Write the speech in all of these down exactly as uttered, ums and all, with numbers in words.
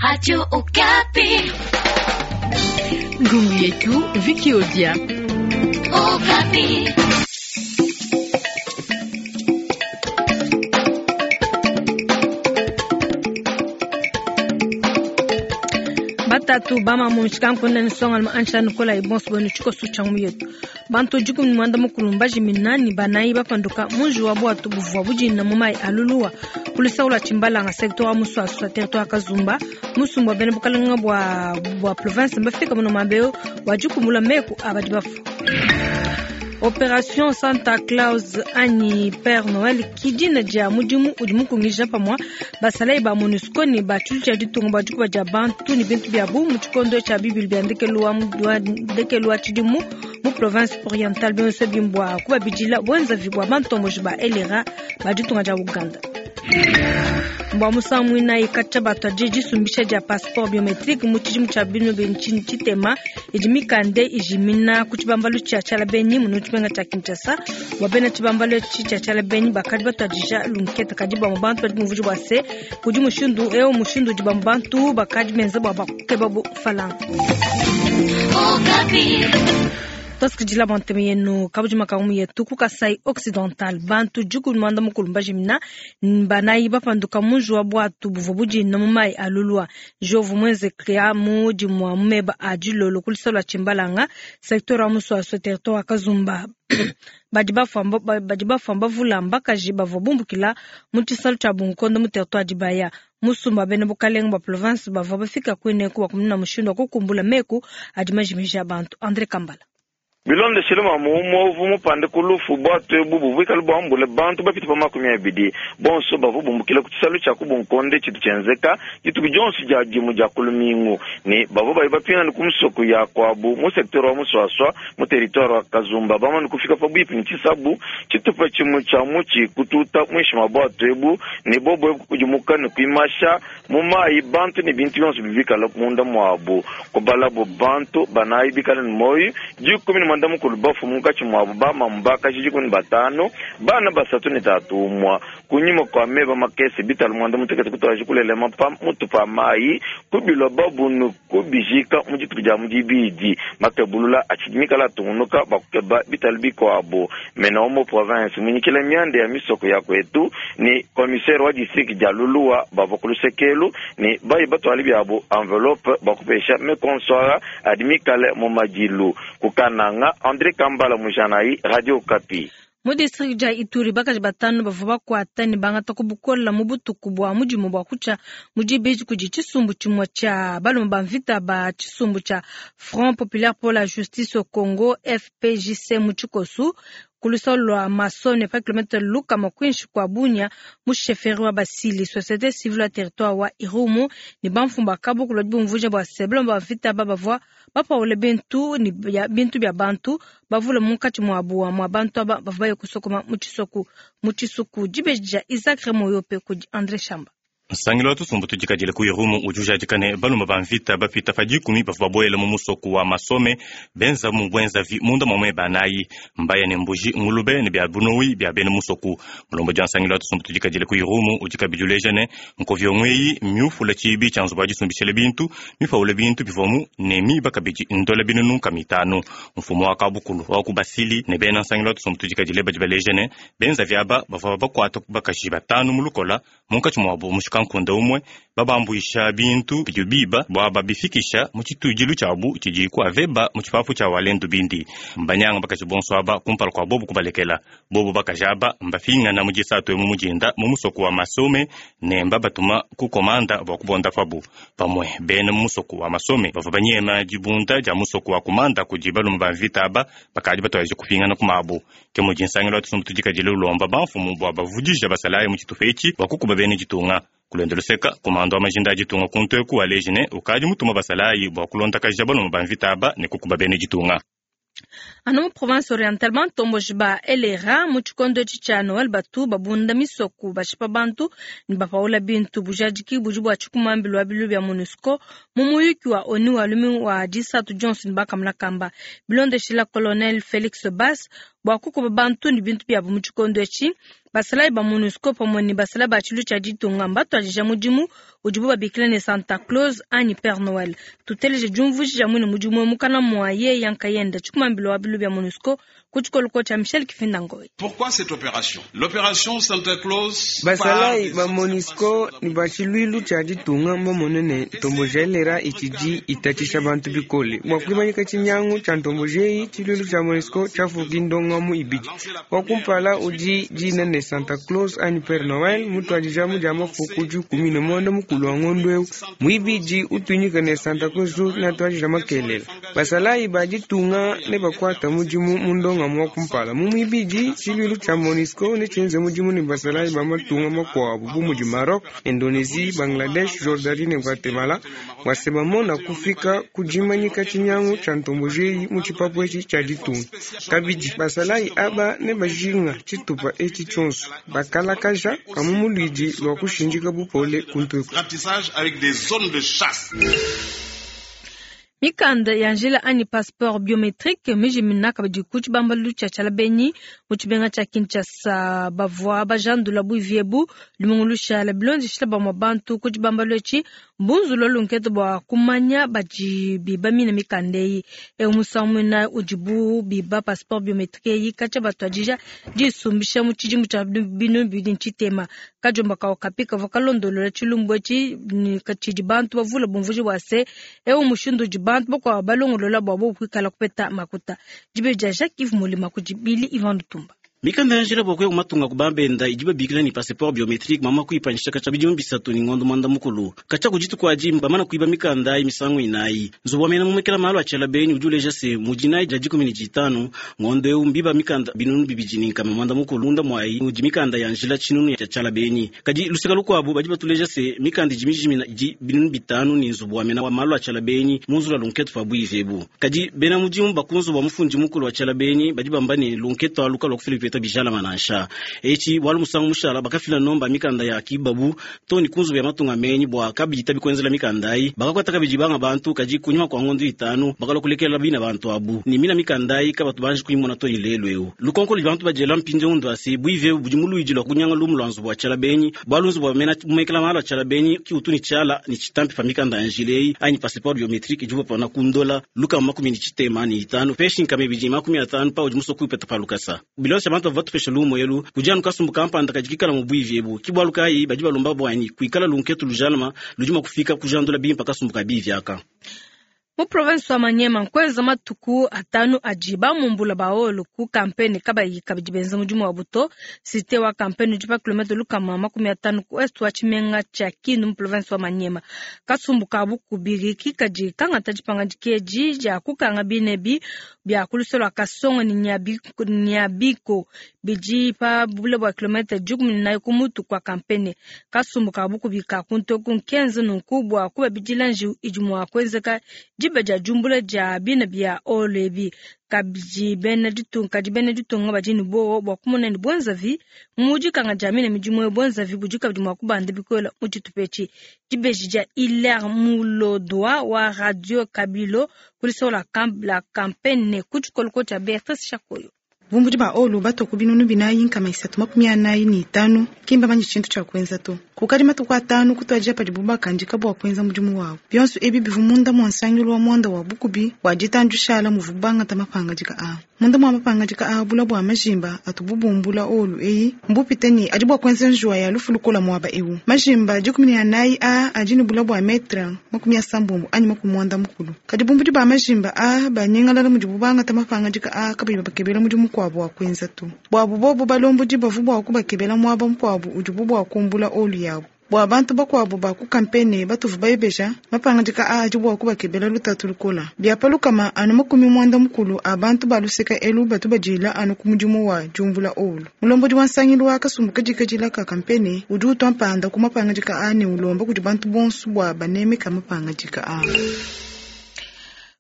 Radio Okapi. Ngungu yetu Vicky Odia. Okapi. Batatu bama mu nshikankunde nsonga ma ancha nukola ibonso bwenu tshikoso tshia mu yetu bantu dikumi mwanda mukulu mbajimina ni banayi bapanduka munji wa bwatu buvua budina mu mayi aluluwa kulisaula tshimbalanga secteur wa muswaswa territoire Kazumba musumba bene bukalanga bwa bwa province mbafika muno mambeo wajikumbula meku abadi bafu. Opération Santa Claus anyi Père Noël kidina dia mudimu udi mukungija pamwa basalayi ba MONUSCO ne ba tshilu tshia ditunga ba dikuba dia bantu ne bintu biabu mu tshikondo tshia bibili bia ndekelu wa ndekelu wa tshidimu mu province orientale bionso bimbwa kubabidila bwenzavi bwa bantomboji ba L R A ba ditunga dia Uganda. Mbwa musangu mwinayi katshia batwa disumbisha dia passeport biometrique mu tshidimu tshia bino bentshini tshitema idi mikande ijimina ku tshibambalu tshia tshialabenyi muno tshimenga tshia Kinshasa bwa bena tshibambalu etshi tshia tshialabenyi bakadi batwadija lunkete kadi bamwe bantu badi bumvuija bua se kudi mushindu eu mushindu udi bamwe bantu bakadi benza bua bakukeba bu falanga. Tosikidila banteme yenu kabujima kamu yetu ku Kasai Occidental bantu dikumi mwanda mukulu mbajimina banayi bapanduka munji wa bwatu buvua budina mu mayi alulwa jovu mwenze kria mu dimua mu meba a dilolo ku lusalo lua tshimbalanga secteur wa muswaswa territoire wa Kazumba. Badi bafamba badi bafamba vula mbakaji bavua bumbukila mu tshisalu tshia Bunkondo mu territoire Dibaya musumba bene bukalenga bwa province bavua bafika kuineku bakumuna mushindu wa kukumbula meku adi majimija bantu. André Kambala bilonde shilema mumovu mupande kulufu bwatu ebu bubwikala bwambule bantu bapita pa makumi abidi bonso bavu bumbukila ku tshisalu tshia kubunkonde tshitu tshienzeka dituku dionso dia dimu dia kulumingu ne bavu bayi bapingana ku musoko ya kwabu mu secteur wa muswaswa mu territoire wa Kazumba bamane kufika pabuipi ne tshisabu tshitupa tshimue tshia mutshi kututa muinshi mua bwatu ebu ne bobo ebu kudimuka ne kuimasha mu mayi bantu ne bintu bionso bibikala munda muabu kubalabu bantu banayi bikala ne moyi dikumi ne mwanda mukulu bafu munkatshi muabu bamamu bakaji dikumi ne batanu bana basatu ne tatu umua kunyima kua meba makese bitalu mwanda mutekete kutwaji kulelema pa mutu pa mayi kubilwa babunu kubijika mu dituku dia mudibidi makebulula atshidi mikala atungunuka bakukeba bitalu bikuabu mena wa mu province munyikila mianda ya misoko ya kwetu ni commissaire wa district dia Luluwa bavua ku lusekelu ni bayi batwali biabu enveloppe bakupesha mekonswara adi mikale mu madilu kukananga. André Kambala Mujanayi, Radio Okapi. Mu district dia Ituri bakaji batanu bavua bakuata ne bangata ku bukola mu butuku bua mudimu bua kutshia mu dibidi kudi tshisumbu tshimue tshia balume ba mvita ba tshisumbu tshia Front Populaire pour la Justice au Congo F P J C mu tshikosu ku lusalo lua Masone pa kilomètre lukama kuinshi kua Bunia mu chefferie wa Basili. Société civile ya territoire wa Irumu ne bamfumba kabukulu badi bumvuija bua se balume ba mvita aba bavua bapaule bintu ne bintu bia bantu bavule munkatshi muabu mua bantu aba bavua baye kusokoma mu tshisoku mu tshisuku. Dibeji dia Isaac Remoyope kudi André Shamba. Nsangilu wa tusumbu tudikadile ku Irumu udi ujadika ne balume ba mvita bapita pa dikumi bavua babuela mu musoko wa Masome benza mu bwenzavi munda muamue banayi mbaya ne mbuji ngulube ne bia bunowi bia bena musoku. Mulombo dia nsangilu wa tusumbu tudikadile ku Irumu udi kabidi uleja ne nkovyo eyi miufula tshibi tshia nzubu wa disumbishile bintu mipaule bintu bivomu ne miba kabidi ndola binunu nkama itanu. Mfumu wa kabukulu wa ku Basili ne bena nsangilu wa tusumbu tudikadile badi baleja ne benza viaba bavua bakuata bakaji batanu mu lukola munkatshi muabu mushika nkunda umwe babambuisha bintu bidi biba bua babifikisha mu tshitudilu tshiabu tshidi ku aveba mu tshipapu tshia walendu bindi mbanyanga bakaji bonso aba kumpala kua bobu kubalekela bobu bakaji aba mbafingana mu disatu emu mujinda mu musoko wa Masome ne mbabatuma ku komanda bua kubonda pabu pamue bena mu musoko wa Masome bavua banyema dibunda dia musoko wa komanda kudi balume ba mvita aba bakadi batwaje kupingana ku mabu ke mudi nsangilo wa tusumbu tudikadile ulomba bamfumu bua bavudija basalayi mu tshitupa etshi bua kukuba bena ditunga. Kulonda luseka komando wa majinda ditunga kuntu ku alejine ukadi mutuma basalayi bua kulondakaja balume ba mvita aba ne kukuba bena ditunga. Anu mu province orientale bantomboji ba L R A mu tshikondo etshi tshia Noel batu babunda misoko bashipa bantu ne bapaula bintu bujadiki budi bua tshikumambilu wa bilu bia MONUSCO mu muyuki wa ONU wa lumingu wa disatu Johnson bakamuna kamba bilondeshila colonel Felix Bass bua kukuba bantu ne bintu biabu mu tshikondo etshi basalayi ba MONUSCO pamue ne basalayi ba tshilu tshia ditunga mbatuadija mudimu udibu babikila ne Santa Claus anyi Père Noël. Tuteleje diumvuija dia muine mudimu mukana mua ye yankayenda tshikumambilu wa bilu bia MONUSCO ku tshikoloko tshia Michel Kifinda Ngoy. Pourquoi cette opération? L'opération Santa Claus basalayi ba MONUSCO ni ba tshiluilu tshia ditunga mbamone ne ntomboji ya L R A itshidi itatshisha bantu bikole bua kuimanyika tshinyangu tshia ntomboji eyi. Tshiluilu tshia MONUSCO tshiafuki ndongamu ibidi wa kumpala udi dina ne Santa Claus anyi Père Noël mutuadija mu dia mafuku dikumi ne muanda mukulu wa ngondo eu muibidi utunyika ne Santa Claus natuadija makelela. Basalayi ba ditunga ne bakuata mudimu mu ndongamu wa kumpala mu muibidi tshiluilu tshia MONUSCO ne tshienze mudimu ne basalayi ba matunga makuabu bu mudi Maroc, Indonesie, Bangladesh, Jordanie ne Guatemala bua bamona kufika ku dimanyika tshinyangu tshia ntomboji eyi mu tshipapu etshi tshia ditunga. Kabidi basalayi aba ne bajinga tshitupa etshi tshionso bakalakaja kamu mulwidi lwa kushindika bupole kuntuku. Ratissage avec des zones de chasse. Mikanda ya njila anyi passeport biometrique mijimina kabidi ku tshibambalu tshia Tshialabenyi mu tshibenga tshia Kinshasa bavua bajandula buivi ebu lumingu lushala bilondeshila bamue bantu ku tshibambalu etshi mbunzula lunkete bua kumanya badi biba mine mikanda eyi. Eu musangu muina udibu biba passeport biometrique eyi katshia batuadija disumbisha mu tshidimu tshia binu bibidi ntshitema. Kajomba kawo kapi kavua kalondolola tshilumbu etshi tshidi bantu bavula bumvuji bua se eu mushindu udi bantu bakuabu balongolola bua bobu kuikala kupeta makuta. Dibe dia Jacques Yves Molima kudi Billy Ivan Lutumba. Mikanda ya njila bua kuya kumatunga kubambenda idi babikila ni passeport biometrique mama kuipanyisha katshia bidimu bisatu ni ngondo mwanda mukulu katshia kudituku adi bamana kuiba mikanda ayi misangu inayi. Nzubu wa mena mumekela malu a Tshialabenyi udi uleja se mudinayi dia dikumi ne ditanu ngondo eu mbiba mikanda binunu bibidi ni nkama mwanda mukulu munda mwayi mudi mikanda ya njila tshinunu ya Tshialabenyi. Kadi luseka lukuabu badi batuleja se mikanda idi mijimina idi binunu bitanu ni nzubu wa mena wa malu a Tshialabenyi munzula lunketu pa buivi ebu. Kadi bena mudimu bakunzu bua mufundi mukulu wa Tshialabenyi badi bamba ne lunketu aluka lua kufila bipeta bijala manansha echi bwalu musangu mushala bakafila nomba mikanda ya kibabu toni kunzu ya matunga menyi bwa kabita bikwenzela mikanda ayi bakakwata kabidi banga bantu kaji kunyuma kwa ngondo itanu bakala kulekela bina bantu abu ni mina mikanda ayi kabatu banji kuimona toni lelo eu lukonko li bantu bajela mpinje undu asi buive budi muluiji lwa kunyanga lumu lwa nzubu wa Tshialabenyi bwalu nzubu wa mena mumekela malo Tshialabenyi ki utuni tshiala ni chitampi pa mikanda ya njilei anyi passeport biometrique ijuba pana kundola luka makumi ni chitema ni itanu peshi nkame biji makumi atanu pa udi musoku ipeta pa lukasa bilonse bantu batupesha lumu elu kujanu kasumbu kampanda kajikikala mu buivi ebu kibwalu kayi badi balomba bwanyi kuikala lunketu lujalama lujuma kufika kujandula bimpa kasumbu kabivi aka. Mu province wa Maniema nkweza matuku atanu adi bamumbula baolo ku kampeni kabayi kabidi benza mudimu wa buto site wa kampeni udi pa kilomètre lukama makumi atanu ku est wa tshimenga tshia Kindu mu province wa Maniema. Kasumbu kabu kubiriki kadi kangata dipanga dikeji dia kukanga binebi bia kuluso lwa Kasongo ni Nyabiko, Nyabiko bidi pa bule bua kilomètre dikumi ne nayi ku mutu kwa kampeni. Kasumbu kabu kubika kuntoku nkenza nunku bua kubabidila njiwu idi mua kuenzeka diba dia jumbula dia bina bia olebi kabidi bena ditunga kadi bena ditunga badi ne bowa bua kumona ne bwenzavi mudi kanga dia mina midimu ya bwenzavi budi kabidi mua kubanda bikola mu tshitupa etshi. Dibeji dia Hilaire Mulodwa wa Radio Kabilo kulisola la campagne ku tshikoloko tshia Beatrice Shakoyo. Bumbudi ba olu batoku binunu binayi nkama isatu makumi anayi ni itanu kimba manyi tshintu tshia kuenza to kukadi matuku atanu kutuadija padibu bakandika bua kuenza mudimu wabu bionso ebi bivu munda mua nsangilu wa muanda wa bukubi wa ditandushala muvu bangata mapangadika a munda mua mapangadika a bula bua majimba atububumbula olu eyi mbupite ni adi bua kuenza njuwa ya lufu lukola muaba ewu majimba dikumi ne anayi a adi ne bula bua metre makumi asambombo anyi makumi muanda mukulu kadi bumbudi ba majimba a banyengalala mudibu bangata mapangadika a kabayi babakebela mudimu mukuabu wa kuenza tu bwabu bobu balombodi bavu bua kubakebela muaba mukuabu udibu bua kumbula olu yabu bua bantu bakuabu ba ku kampene batuvu bayebeja mapangadika a adi bua kubakebela lutatu lukola biapa lukama anu makumi muanda mukulu a bantu baluseka elu batu badila anu ku mudimu wa diumbula olu mulombodi wa nsangilu wa kasumbu kadikadila ka kampene udi utua mpanda ku mapangadika a ne ulomba kudi bantu bonso bua banemeka mapangadika a.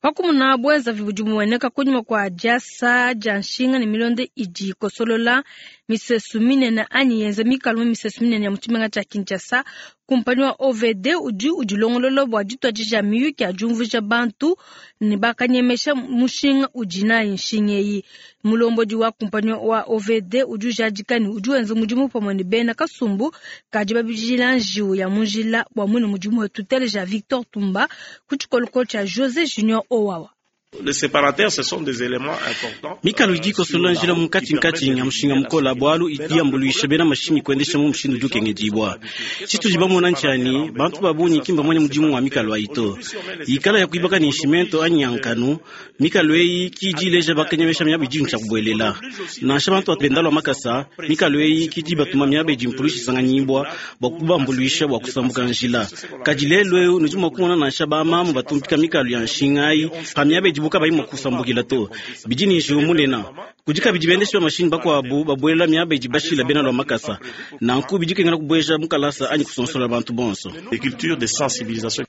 Pakumuna bwenzavi budi bumueneka kunyima kua diasa dia nshinga ne milonda idi ikosolola misesu minene anyi yenza mikalu mu misesu minene ya mu tshimenga tshia Kinshasa. Kumpanyi wa O V D udi udilongolola bua dituadija miyuki ya diumvuija bantu ne bakanyemesha mushinga udi nayi nshinga eyi. Mulombodi wa kumpanyi wa O V D udi ujadika ne udi wenza mudimu pamue ne bena kasumbu kadi babidila njiwu ya mu njila bua muine mudimu wetu. Teleja Victor Tumba ku tshikolokolo tshia José Junior Owawa. Les séparateurs, ce sont des éléments importants. Mikalu idi ikosolola njila munkatshi-nkatshi ya mushinga mukola bwalu idi yambuluisha bena mashinyi kuendesha mu mushindu udi ukengedibwa. Tshitudi bamona ntshani, bantu ba bungi ki mbamanye mudimu wa mikalu ayi to. Ikala ya kuibaka ni nshimento anyi ya nkanu, mikalu eyi ki idi ileja bakanyemesha miaba idi ntshia kubuelela. Nansha bantu bapenda lwa makasa, mikalu eyi ki idi batuma miaba idi mpulushi isanganyibwa bua kubambuluisha bua kusambuka njila. Kadi lelu eu nudi mua kumona nansha bamamu batumpika mikalu ya nshinga ayi pa miaba idi buka bayi mua kusambukila to. Bidi ni njiwu munene. Kudi kabidi bendeshi ba mashinyi bakuabu babuelela miaba idi bashila bena lwa makasa. Nanku bidi kengela kubueja mukalasa anyi kusonsola bantu bonso. Des cultures de sensibilisation.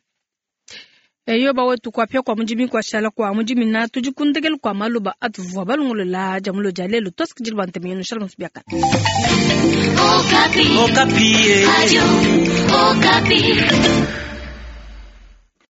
Eyo bawetu kuapia kwa mudimi kwa shala kwa mudimi na tudi kundekelu kwa maloba atuvua balongolola dia mulo dia lelo tosikidile bua ntema yenu. Shalom subiaka. Okapi. Okapi. Radio Okapi.